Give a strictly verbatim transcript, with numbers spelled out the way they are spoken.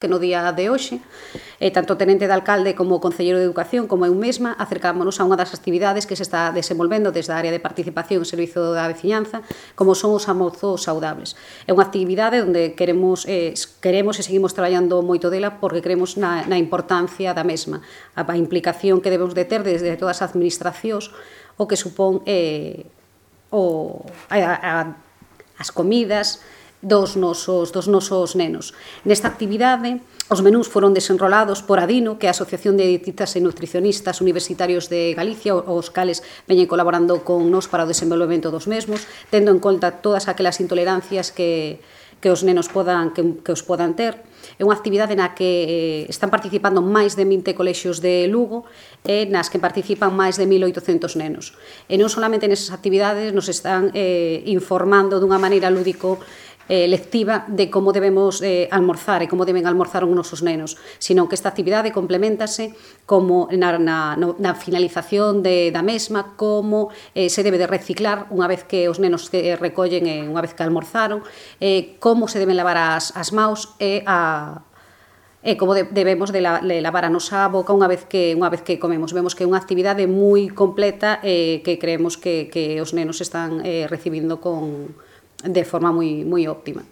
que no día de hoxe, eh, tanto o tenente de alcalde como o concelleiro de Educación, como eu mesma, acercámonos a unha das actividades que se está desenvolvendo desde a área de participación e servizo da veciñanza, como son os almorzos saudables. É unha actividade onde queremos, eh, queremos e seguimos traballando moito dela porque creemos na, na importancia da mesma, a, a implicación que debemos de ter desde todas as administracións, o que supón eh, o, a, a, as comidas, dos nosos, dos nosos nenos. Nesta actividade, os menús foron desenrolados por Adino, que é a Asociación de Dietistas e Nutricionistas Universitarios de Galicia, os cales veñen colaborando con nos para o desenvolvemento dos mesmos, tendo en conta todas aquelas intolerancias que, que os nenos podan, que, que os podan ter. É unha actividade na que eh, están participando máis de vinte colexios de Lugo e nas que participan máis de mil oitocentos nenos. E non solamente nesas actividades nos están eh, informando dunha maneira lúdico Eh, lectiva de como debemos eh, almorzar e como deben almorzar os nosos nenos, sino que esta actividade complementase como na, na, na finalización de, da mesma, como eh, se debe de reciclar unha vez que os nenos que recollen eh, unha vez que almorzaron, eh, como se deben lavar as, as maus e a e como de, debemos de, la, de lavar a nosa boca unha vez que unha vez que comemos. Vemos que é unha actividade moi completa e eh, que creemos que, que os nenos están eh, recibindo con de forma moi, moi óptima.